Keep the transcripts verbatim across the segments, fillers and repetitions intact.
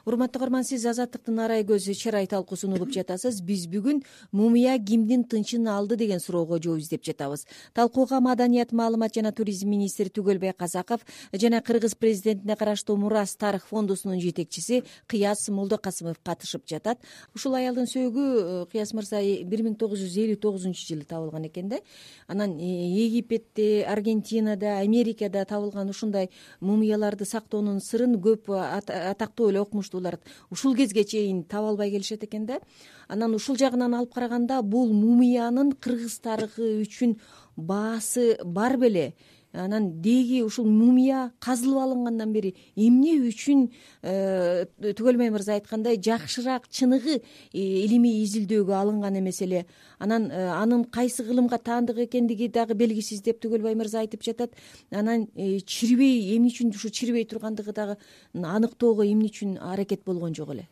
Урматтуу көрөрман, сиз Азаттыктын арай көз чырай талкуусун угуп жатасыз. Биз бүгүн мумия кимдин тынчын алды деген суроого жооп издеп жатабыз. Талкууга Маданият, маалымат жана туризм министри Түгөлбай Казаков жана Кыргыз президентине караштуу Мурас тарых фондусунун жетекчиси Кыяз Молдокасымов катышып жатат. Ушул аялдын сөөгү, Кыяз мырза, бир миң тогуз жүз элүү тогузунчу жылы табылган экен да. Анан Египетте, Аргентинада, Америкада табылган ушундай мумияларды сактоонун сырын көп атактуу эле окумуштуулар ушул кезге чейин таба албай келишет экен да. Анан ушул жагынан алып караганда бул мумиянын кыргыз тарыхы үчүн баасы бар беле? Анан деги ушул мумия казылып алынгандан бери эмне үчүн Түгөлбай мырза айткандай жакшыраак чыныгы илимий изилдөөгө алынган эмес эле? Анан анын кайсы кылымга таандык экендиги дагы белгисиз деп Түгөлбай мырза айтып жатат. Анан чирбей, эмне үчүн ушул чирбей тургандыгы дагы аныктоого эмне үчүн аракет болгон жок эле?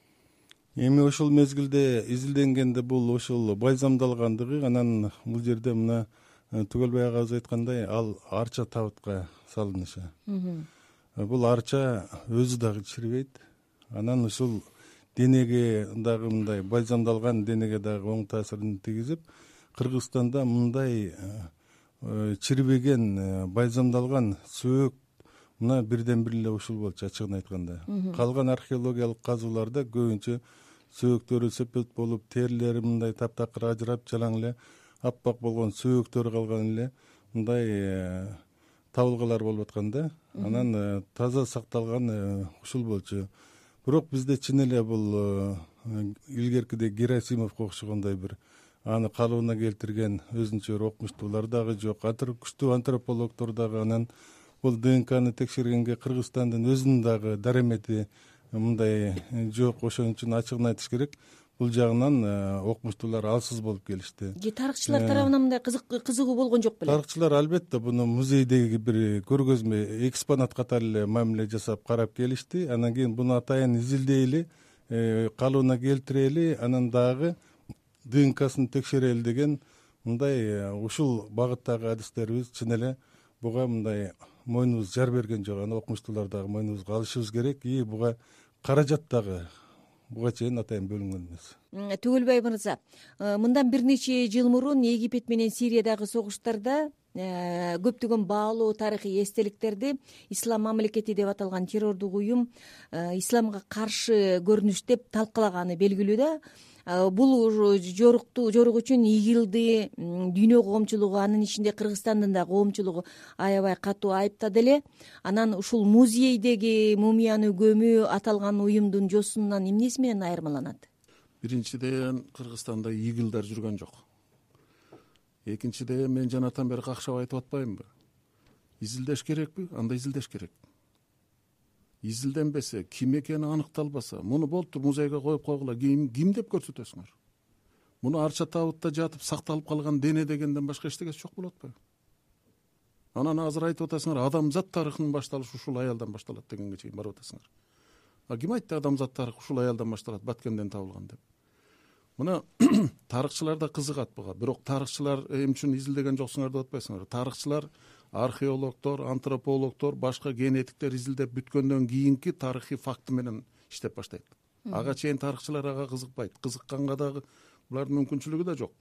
Эми ошол мезгилде изилденгенде бул ошол бальзамдалгандыгы, анан бул жерде мына Түгөлбай агабыз айткандай, ал арча табытка салынышы. Бул арча өзү дагы чирбейт. Анан ушул денеге дагы мындай бальзамдалган денеге дагы оң таасирин тийгизип, Кыргызстанда мындай чирбеген бальзамдалган сөөк мына бирден бир эле ушул болчу, ачыгын айтканда. Калган археологиялык казууларда көбүнчө сөөктөрү сепет болуп, терилери мындай таптакыр ажырап, жалаң эле аппак болгон сөөктөрү калган эле мындай табылгалар болуп аткан да. Анан таза сакталган ушул болчу. Бирок бизде чын эле бул илгеркидей Герасимовго окшогондой бир аны калыбына келтирген өзүнчө бир окумуштуулар дагы жок. Күчтүү антропологдор дагы анан бул ДНКны текшергенге Кыргызстандын өзүнүн дагы дарамети мындай жок. Ошон үчүн ачыгын айтыш керек, бул жагынан окумуштуулар алсыз болуп келишти. Же тарыхчылар тарабынан мындай кызыгуу болгон жок беле? Тарыхчылар албетте буну музейдеги бир көргөзмө экспонат катары эле мамиле жасап карап келишти. Анан кийин буну атайын изилдейли, калыбына келтирели, анан дагы ДНКсын текшерели деген мындай ушул багыттагы адистерибиз чын эле буга мындай мойнубуз жар берген жок. Аны окумуштуулар дагы мойнубузга алышыбыз керек. И буга каражат дагы буга чейин атайын бөлүнгөн эмес. Түгөлбай мырза, мындан бир нече жыл мурун Египет менен Сириядагы согуштарда көптөгөн баалуу тарыхый эстеликтерди Ислам мамлекети деп аталган террордук уюм исламга каршы көрүнүш деп талкалаганы белгилүү да. Бул жорукту жорук үчүн ИГИЛди, дүйнө коомчулугу, анын ичинде Кыргызстандын да коомчулугу аябай катуу айыптады эле. Анан ушул музейдеги мумияны көмүү аталган уюмдун жосунан эмнеси менен айырмаланат? Биринчиден, Кыргызстанда ИГИЛдар жүргөн жок. Экинчиден, мен жанатан бери какшап айтып атпаймынбы? Изилдеш керекпи? Анда изилдеш керек. Изилденбесе, ким экени аныкталбаса, муну болуптур музейге коюп койгула, ким ким деп көрсөтөсүңөр? Муну арча табытта жатып сакталып калган дене дегенден башка эчтегеси жок болуп атпайбы? Анан азыр айтып атасыңар, адамзат тарыхынын башталышы ушул аялдан башталат дегенге чейин барып атасыңар. А ким айтты адамзат тарыхы ушул аялдан башталат, Баткенден табылган деп? Мына тарыхчылар да кызыгат буга. Бирок тарыхчылар эмне үчүн изилдеген жоксуңар деп атпайсыңар. Тарыхчылар, археологдор, антропологдор, башка генетиктер изилдеп бүткөндөн кийинки тарыхый факты менен иштеп баштайт. Ага чейин тарыхчылар ага кызыкпайт. Кызыкканга дагы булардын мүмкүнчүлүгү да жок.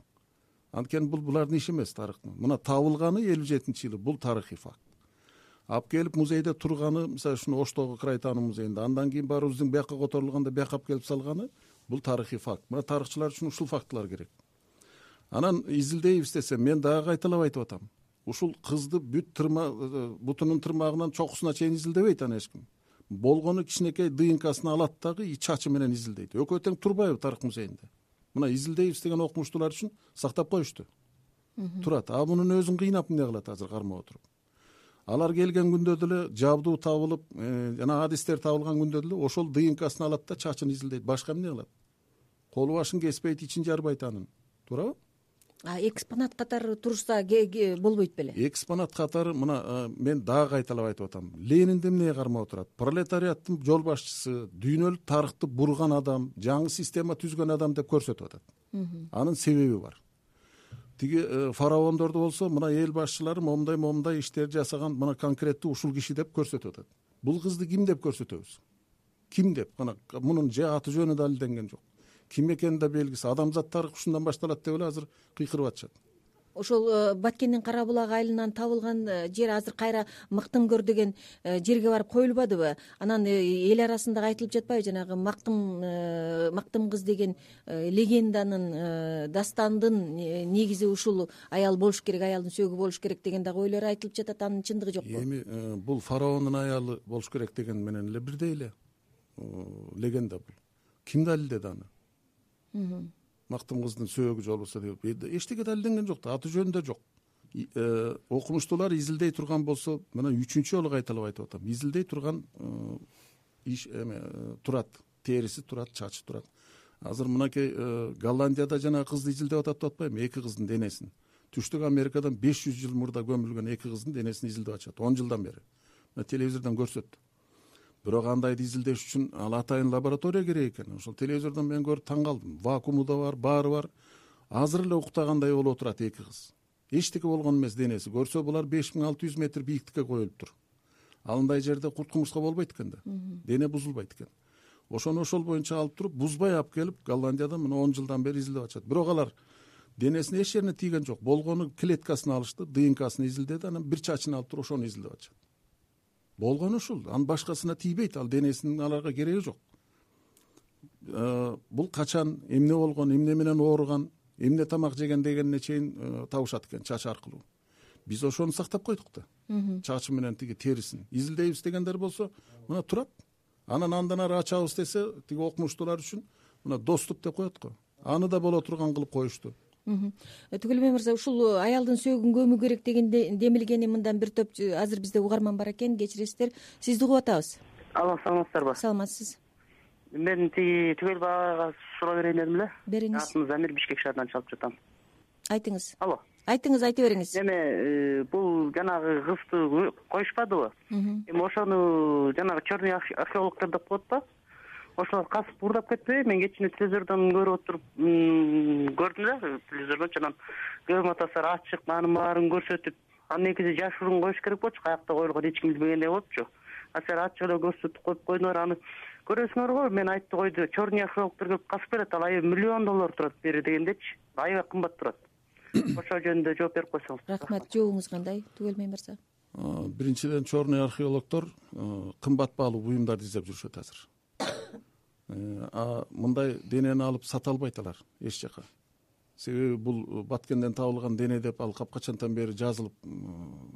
Анткени бул булардын иши эмес тарыхтын. Мына табылганы элүү жетинчи жылы, бул тарыхый факт. Алып келип музейде турганы, мисалы ушуну Оштогу Кырайтаануу музейинде, андан кийин барыбыздын бияка которулганда бияка алып келип салганы, бул тарыхый факт. Мына тарыхчылар үчүн ушул фактылар керек. Анан изилдейбиз десе, мен дагы кайталап айтып атам. Ушул кызды бүт тырма бутунун тырмагынан чокусуна чейин изилдебейт аны эч ким. Болгону кичинекей ДНКсын алат дагы чачы менен изилдейт. Экөө тең турбайбы тарых музейинде? Мына изилдейбиз деген окумуштуулар үчүн сактап коюшту. Турат. А мунун өзүн кыйнап эмне кылат азыр кармап отуруп? Алар келген күндө деле жабдуу табылып, жана адистер табылган күндө деле ошол ДНКсын алат да чачын изилдейт. Башка эмне кылат? Колу башын кеспейт, ичин жарбайт анын. Туурабы? А экспонат катары турса болбойт беле? Экспонат катары, мына мен дагы кайталап айтып атам. Ленинди эмнеге кармап отурат? Пролетариаттын жол башчысы, дүйнөлүк тарыхты бурган адам, жаңы система түзгөн адам деп көрсөтүп атат. Анын себеби бар. Тиги фараондорду болсо, мына эл башчылары момундай момундай иштерди жасаган, мына конкреттүү ушул киши деп көрсөтүп атат. Бул кызды ким деп көрсөтөбүз? ким деп ана мунун же аты жөнү далилденген жок, ким экени да белгисиз. Адамзат тарыхы ушундан башталат деп эле азыр кыйкырып атышат. Ошол Баткендин Кара булак айылынан табылган жер азыр кайра Мактымгөр деген жерге барып коюлбадыбы? Анан эл арасында айтылып жатпайбы, жанагы Мактым Мактым кыз деген легенданын, дастандын негизи ушул аял болуш керек, аялдын сөөгү болуш керек деген дагы ойлор айтылып жатат. Анын чындыгы жокпу? Эми бул фараондун аялы болуш керек деген менен эле бирдей эле легенда бул. Ким далилдеди аны? Мактым кыздын сөөгү же болбосо деп эчтеке далилденген жок да, аты жөнү да жок. Окумуштуулар изилдей турган болсо, мына үчүнчү жолу кайталап айтып атам, изилдей турган иш эме турат, териси турат, чачы турат. Азыр мынакей Голландияда жана кызды изилдеп атат деп атпайбы, эки кыздын денесин. Түштүк Америкадан беш жүз жыл мурда көмүлгөн эки кыздын денесин изилдеп атышат, он жылдан бери. Мына телевизордон көрсөттү. Бирок андайды изилдеш үчүн ал атайын лаборатория керек экен. Ошол телевизордон мен көрүп таң калдым. Вакууму да бар, баары бар. Азыр эле уктагандай болуп отурат эки кыз. Эчтеке болгон эмес денеси. Көрсө булар беш миң алты жүз метр бийиктикке коюлуптур. Алындай жерде курт кумурска болбойт экен да. Дене бузулбайт экен. Ошону ошол боюнча алып туруп, бузбай алып келип, Голландияда мына он жылдан бери изилдеп атышат. Бирок алар денесине эч жерине тийген жок. Болгону клеткасын алышты, ДНКсын изилдеди, анан бир чачын алып туруп ошону изилдеп атышат. Болгону ушул, анын башкасына тийбейт, ал денесинин аларга кереги жок. Бул качан, эмне болгон, эмне менен ооруган, эмне тамак жеген дегенине чейин табышат экен чач аркылуу. Биз ошону сактап койдук да. Чачы менен тиги терисин изилдейбиз дегендер болсо, мына турат. Анан андан ары ачабыз десе, тиги окумуштуулар үчүн мына доступ деп коет го. Аны да боло турган кылып коюшту. Түгөлбай мырза, ушул аялдын сөөгүн көмүү керек деген демилгени мындан бир топ азыр бизде угарман бар экен, кечиресиздер. Сизди угуп атабыз. Алло, саламатсыздарбы? Саламатсыз. Мен тиги Түгөлбай ага суроо берейин дедим эле. Бериңиз. Атым Замир, Бишкек шаарынан чалып жатам. Айтыңыз. Алло. Айтыңыз, айта бериңиз. Эме бул жанагы кызды коюшпадыбы? Эми ошону жанагы черный археологдор деп коет да. Ошолор касып урдап кетпейби? Мен кечинде телевизордон көрүп отуруп көрдүм да, телевизордон анан көп матасар ачык, анын баарын көрсөтүп, анын негизи жашыруун коюш керек болчу, каякта коюлган эч ким билбегендей болупчу. А силер ачык эле көрсөтүп коюп койдуңар, аны көрөсүңөр го. Мен айтты койду, черный археологдор келип касып берет, ал айы миллион доллар турат бери дегендечи. Аябай кымбат турат. Ошол жөнүндө жооп берип койсоңуз. Рахмат. Жообуңуз кандай, Түгөлбай мырза? Биринчиден, черный археологдор кымбат баалуу буюмдарды издеп жүрүшөт азыр. А мындай денени алып сата албайт алар эч жака. Себеби бул Баткенден табылган дене деп ал капкачантан бери жазылып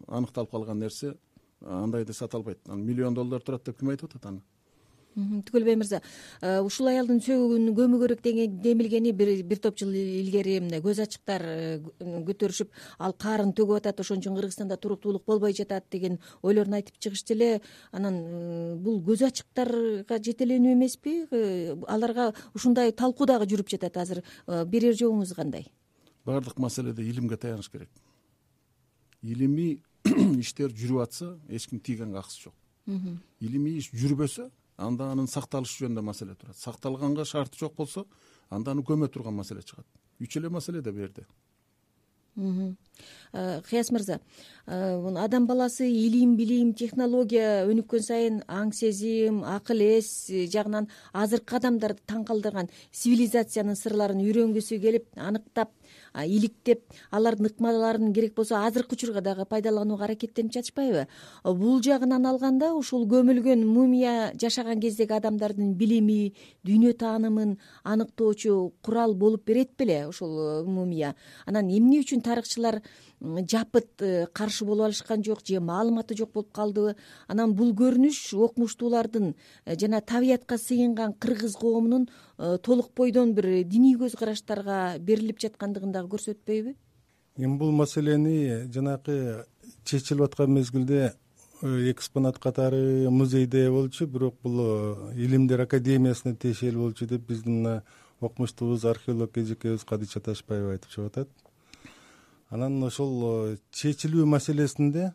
аныкталып калган нерсе, андайды сата албайт. Миллион доллар турат деп ким айтып атат аны? Түгөлбай мырза, ушул аялдын сөөгүн көмүү керек деген демилгени бир бир топ жыл илгери эмне көз ачыктар көтөрүшүп, ал каарын төгүп атат, ошон үчүн Кыргызстанда туруктуулук болбой жатат деген ойлорун айтып чыгышты эле. Анан бул көз ачыктарга жетеленүү эмеспи? Аларга ушундай талкуу дагы жүрүп жатат азыр. Берер жообуңуз кандай? Бардык маселеде илимге таяныш керек. Илимий иштер жүрүп атса, эч ким тийгенге акысы жок. Илимий иш жүрбөсө, анда анын сакталышы жөнүндө маселе турат. Сакталганга шарты жок болсо, анда аны көмө турган маселе чыгат. Үч эле маселе да бу жерде. Кыяс мырза, адам баласы илим, билим, технология өнүккөн сайын аң сезим, акыл эс жагынан азыркы адамдарды таң калтырган цивилизациянын сырларын үйрөнгүсү келип, аныктап, иликтеп, алардын ыкмаларын керек болсо азыркы учурга дагы пайдаланууга аракеттенип жатышпайбы? Бул жагынан алганда ушул көмүлгөн мумия жашаган кездеги адамдардын билими, дүйнө таанымын аныктоочу курал болуп берет беле ушул мумия? Анан эмне үчүн тарыхчылар жапыт каршы боло алышкан жок же маалыматы жок болуп калдыбы? Анан бул көрүнүш окумуштуулардын жана табиятка сыйынган кыргыз коомунун толук бойдон бир диний көз караштарга берилип жаткандыгын дагы көрсөтпөйбү? Эми бул маселени жанакы чечилип аткан мезгилде экспонат катары музейде болчу, бирок бул Илимдер академиясына тиешелүү болчу деп биздин мына окумуштуубуз, археолог эжекебиз Кадыша Ташбаева айтып чыгып атат. Анан ошол чечилүү маселесинде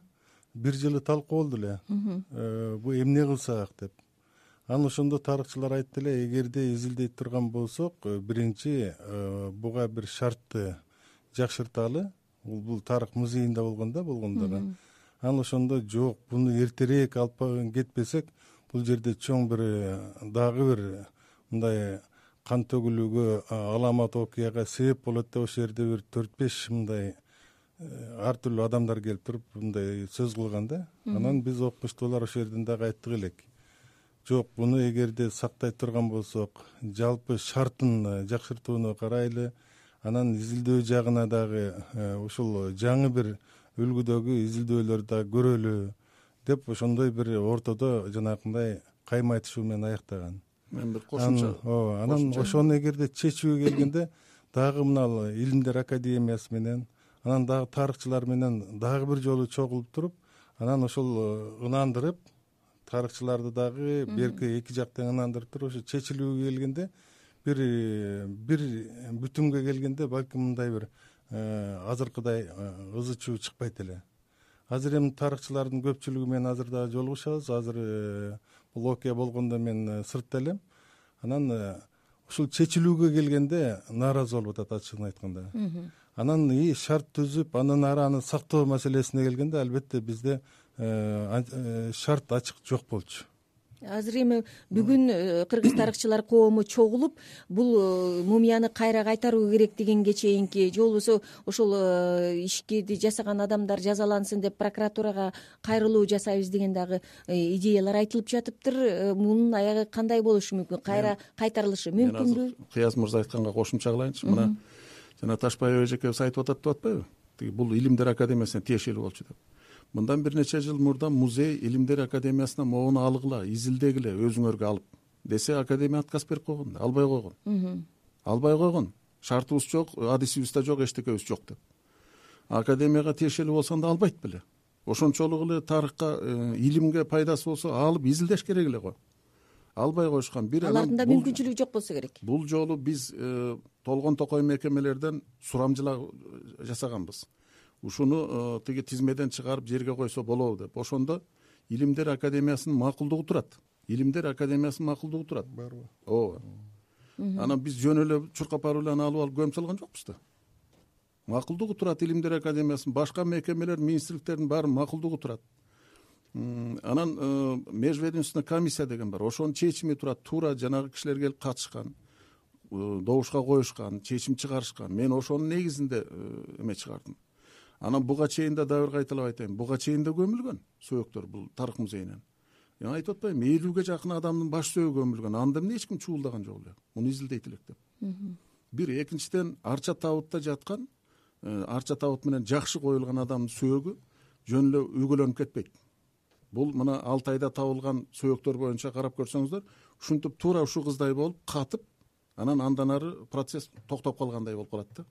бир жылы талкуу болду эле. Бу эмне кылсак деп. Анан ошондо тарыхчылар айтты эле, эгерде изилдей турган болсок, биринчи буга бир шартты жакшырталы. Бул тарых музейинде болгон да болгондо. Анан ошондо жок, буну эртерээк алып кетпесек, бул жерде чоң бир дагы бир мындай кан төгүлүүгө, аламат окуяга себеп болот деп ошол жерде бир төрт беш мындай ар түрдүү адамдар келип туруп мындай сөз кылган да. Анан биз окумуштуулар ошол жерден дагы айттык элек. Жок, буну эгерде сактай турган болсок, жалпы шартын жакшыртууну карайлы, анан изилдөө жагына дагы ушул жаңы бир үлгүдөгү изилдөөлөрдү дагы көрөлү деп ошондой бир ортодо жанагындай кайма айтышуу менен аяктаган. Мен бир кошумча. Ооба, анан ошону эгерде чечүүгө келгенде дагы мына Илимдер академиясы менен, анан дагы тарыхчылар менен дагы бир жолу чогулуп туруп, анан ошол ынандырып, тарыхчыларды дагы берки эки жактан ынандырып туруп, ошо чечилүүгө келгенде бир бир бүтүнгө келгенде балким мындай бир азыркыдай ызы чуу чыкпайт эле. Азыр эми тарыхчылардын көпчүлүгү менен азыр дагы жолугушабыз. Азыр бул окуя болгондо мен сыртта элем. Анан ушул чечилүүгө келгенде нааразы болуп атат, ачыгын айтканда. Анан и шарт түзүп, андан ары аны сактоо маселесине келгенде албетте бизде шарт ачык жок болчу. Азыр эми бүгүн кыргыз тарыхчылар коому чогулуп, бул мумияны кайра кайтаруу керек дегенге чейинки, же болбосо ошол ишти жасаган адамдар жазалансын деп прокуратурага кайрылуу жасайбыз деген дагы идеялар айтылып жатыптыр. Мунун аягы кандай болушу мүмкүн? Кайра кайтарылышы мүмкүнбү? Кыяз мырза айтканга кошумча кылайынчы. Мына жана Ташбаева эжекебиз айтып атат деп атпайбы? Тиги бул Илимдер академиясына тиешелүү болчу деп. Мындан бир нече жыл мурда музей Илимдер академиясына могуну алгыла, изилдегиле, өзүңөргө алып десе, академия отказ берип койгон, албай койгон. Албай койгон. Шартыбыз жок, адисибиз да жок, эчтекебиз жок деп. Академияга тиешелүү болсоң да албайт беле. Ошончолук эле тарыхка, илимге пайдасы болсо алып изилдеш керек эле го. Албай коюшкан. Бир алардын да мүмкүнчүлүгү жок болсо керек. Бул жолу биз толгон токой мекемелерден сурамжылаа жасаганбыз. Ушуну тиги тизмеден чыгарып жерге койсо болобу деп. Ошондо Илимдер академиясынын макулдугу турат. Илимдер академиясынын макулдугу турат. Барбы? Ооба. Анан биз жөн эле чуркап барып эле аны алып алып көмүп салган жокпуз да. Макулдугу турат Илимдер академиясынын, башка мекемелер, министрликтердин баары макулдугу турат. Анан межведомственный комиссия деген бар. Ошонун чечими турат. Туура жанагы кишилер келип катышкан, добушка коюшкан, чечим чыгарышкан. Мен ошонун негизинде эме чыгардым. Анан буга чейин да дагы бир кайталап айтайын. Буга чейин да көмүлгөн сөөктөр бул тарых музейинен. Мен айтып атпаймынбы, элүүгө жакын адамдын баш сөөгү көмүлгөн. Анда эмне эч ким чуулдаган жок эле. Муну изилдейт элек деп. Бир, экинчиден арча табытта жаткан, арча табыт менен жакшы коюлган адамдын сөөгү жөн эле үгөлөнүп кетпейт. Бул мына Алтайда табылган сөөктөр боюнча карап көрсөңүздөр, ушинтип туура ушул кыздай болуп катып, анан андан ары процесс токтоп калгандай болуп калат да.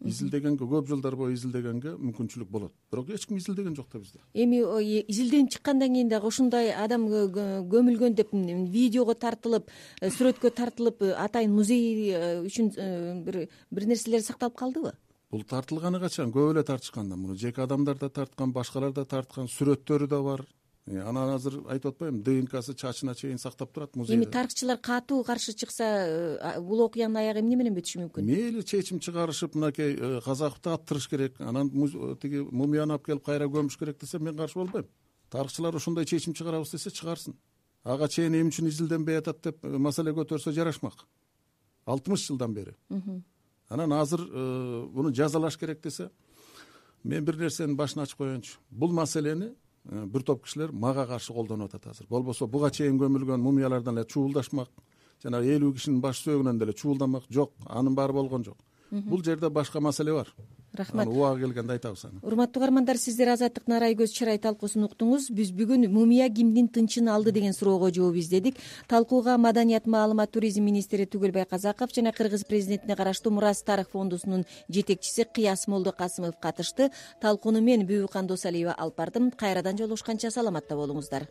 Изилдегенге, көп жылдар бою изилдегенге мүмкүнчүлүк болот. Бирок эч ким изилдеген жок да бизде. Эми изилденип чыккандан кийин дагы ушундай адам көмүлгөн деп видеого тартылып, сүрөткө тартылып, атайын музей үчүн бир бир нерселер сакталып калдыбы? Бул тартылганы качан? Көп эле тартышкан да. Муну жеке адамдар да тарткан, башкалар да тарткан, сүрөттөрү да бар. Анан азыр айтып атпаймынбы, ДНКсы чачына чейин сактап турат музейде. Эми тарыхчылар катуу каршы чыкса, бул окуянын аягы эмне менен бүтүшү мүмкүн? Мейли чечим чыгарышып, мынакей Казаковду аттырыш керек, анан тиги мумияны алып келип кайра көмүш керек десе, мен каршы болбойм. Тарыхчылар ошондой чечим чыгарабыз десе, чыгарсын. Ага чейин эмне үчүн изилденбей атат деп маселе көтөрсө жарашмак. алтымыш жылдан бери. Анан азыр буну жазалаш керек десе, мен бир нерсенин башын ачып коеюнчу. Бул маселени бир топ кишилер мага каршы колдонуп атат азыр. Болбосо буга чейин көмүлгөн мумиялардан эле чуулдашмак, жана элүү кишинин баш сөөгүнөн деле чуулдамак жок, анын баары болгон жок. Бул жерде башка маселе бар. Рахмат. Аны убагы келгенде айтабыз аны. Урматтуу угармандар, сиздер Азаттык Нарай көз чырай талкуусун уктуңуз. Биз бүгүн мумия кимдин тынчын алды деген суроого жооп издедик. Талкууга Маданият, маалымат, туризм министри Түгөлбай Казаков жана Кыргыз президентине караштуу Мурас Тарых фондусунун жетекчиси Кыяс Молдокасымов катышты. Талкууну мен Бүбүкан Досалиева алып бардым. Кайрадан жолугушканча саламатта болуңуздар.